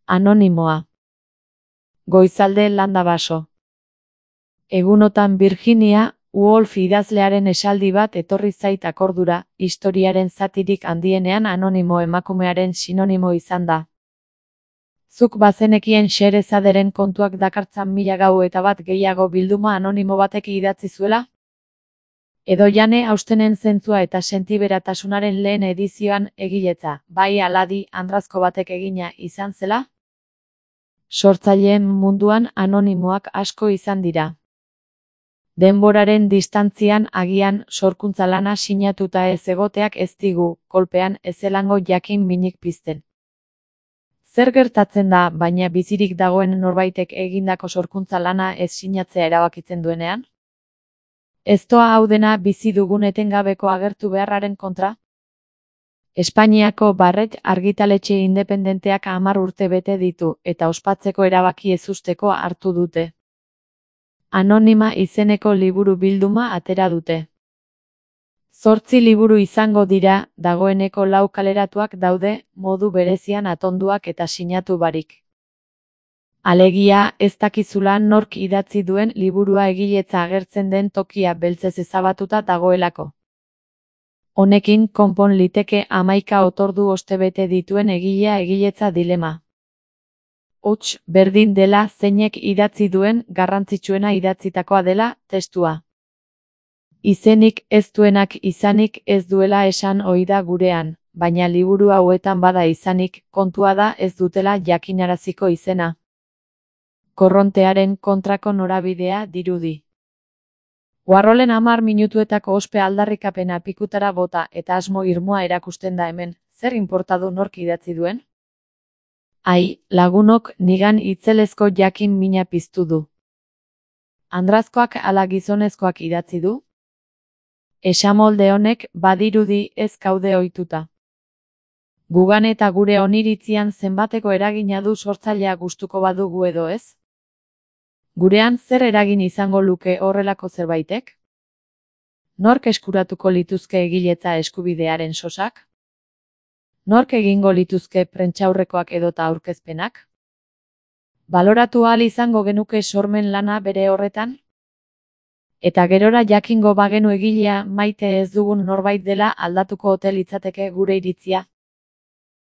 Anonimoa. Goizalde landa baso. Egunotan Virginia Woolf idazlearen esaldi bat etorri zait akordura, historiaren zatirik handienean anonimo emakumearen sinonimo izan da. Zuk bazenekien Xerezaderen kontuak dakartzan 1001 gehiago bilduma anonimo batek idatzi zuela? Edo Jane Austenen zentzua eta sentiberatasunaren lehen edizioan egiletza, bai aladi, andrazko batek egina izan zela? Sortzaileen munduan anonimoak asko izan dira. Denboraren distantzian agian sorkuntza lana sinatuta ez egoteak ez digu, kolpean ezelango jakin minik pizten. Zer gertatzen da, baina bizirik dagoen norbaitek egindako sorkuntza lana ez sinatzea erabakitzen duenean? Ez doa hau dena bizi dugun etengabeko agertu beharraren kontra? Espainiako Barret argitaletxe independenteak 10 urte bete ditu, eta ospatzeko erabaki ezusteko hartu dute. Anonima izeneko liburu bilduma atera dute. 8 liburu izango dira, dagoeneko 4 kaleratuak daude, modu berezian atonduak eta sinatu barik. Alegia, ez dakizula nork idatzi duen liburua egiletza agertzen den tokia beltzez ezabatuta dagoelako. Honekin konpon liteke 11 otordu ostebete dituen egilea egiletza dilema. Hots, berdin dela zeinek idatzi duen, garrantzitsuena idatzitakoa dela, testua. Izenik ez duenak izanik ez duela esan ohi da gurean, baina liburu hauetan bada izanik, kontua da ez dutela jakinaraziko izena. Korrontearen kontrako norabidea dirudi. Warholen 10 minutuetako ospe aldarrikapena pikutara bota eta asmo irmoa erakusten da hemen, zer inporta du nork idatzi duen? Ai, lagunok nigan itzelezko jakin mina piztu du. Andrazkoak ala gizonezkoak idatzi du? Esamolde honek badirudi ez gaude ohituta. Gugan eta gure oniritzian zenbateko eragina du sortzailea gustuko badugu edo ez? Gurean zer eragin izango luke horrelako zerbaitek? Nork eskuratuko lituzke egiletza eskubidearen sosak? Nork egingo lituzke prentsaurrekoak edota aurkezpenak? Baloratu ahal izango genuke sormen lana bere horretan? Eta gerora jakingo bagenu egilea maite ez dugun norbait dela aldatuko ote litzateke gure iritzia?